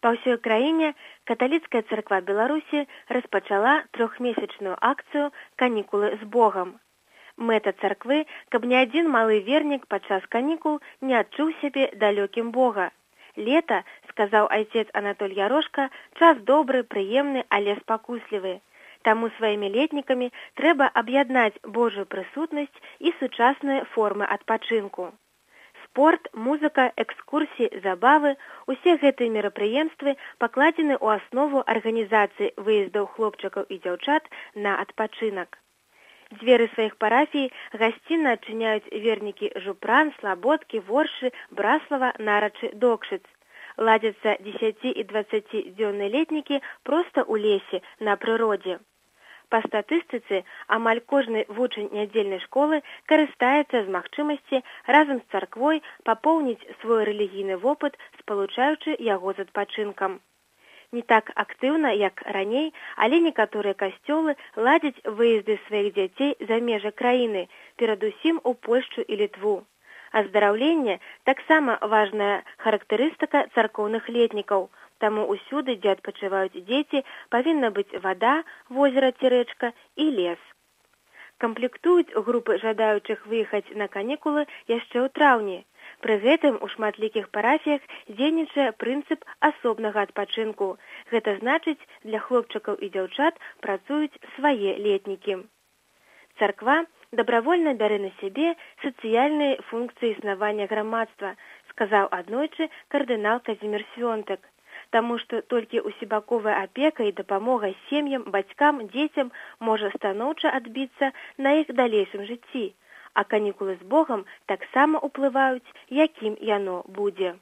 Па ўсёй краіне каталіцкая царква Беларусі распачала трохмесячную акцыю «Канікулы з Богам». Мэта царквы, каб ні адзін малы вернік падчас канікул не адчуў сябе далёкім Бога. Лета, сказаў айцец Анатоль Ярошка, час добры, прыемны, але спакуслівы. Таму сваімі летнікамі трэба аб'яднаць Божую прысутнасць і сучасныя формы адпачынку. Спорт, музыка, экскурсіі, забавы – усе гэтыя мерапрыемствы пакладзены ў аснову арганізацыі выездаў хлопчыкаў і дзяўчат на адпачынак. Дзверы сваіх парафій гасцінна адчыняюць вернікі Жупран, Слабодкі, Воршы, Браслава, Нарачы, Докшыц. Ладзяцца 10- і 20-дзённыя летнікі проста ў лесе, на прыродзе. Па статыстыцы, амаль кожны вучань нядзельнай школы карыстаецца з магчымасці разам з царквой папоўніць свой рэлігійны вопыт, спалучаючы яго з адпачынкам. Не так актыўна, як раней, але некаторыя касцёлы ладзяць выезды сваіх дзяцей за межы краіны, перадусім у Польшчу і Літву. Аздараўленне таксама важная характарыстыка царкоўных летнікаў, таму ўсюды, дзе адпачываюць дзеці, павінна быць вада, возера ці рэчка і лес. Камплектуюць групы жадаючых выехаць на канікулы яшчэ ў траўні. Пры гэтым у шматлікіх парафіях дзейнічае прынцып асобнага адпачынку. Гэта значыць, для хлопчыкаў і дзяўчат працуюць свае летнікі. Царква добровольна бярэ на сябе сацыяльныя функцыі існавання грамадства, сказаў аднойчы кардынал Казімір Свёнтак. Таму што толькі усебаковая апека і дапамога сем'ям, бацькам, дзецям можа станоўча адбіцца на іх далейшым жыцці, а канікулы з Богам таксама ўплываюць, якім яно будзе.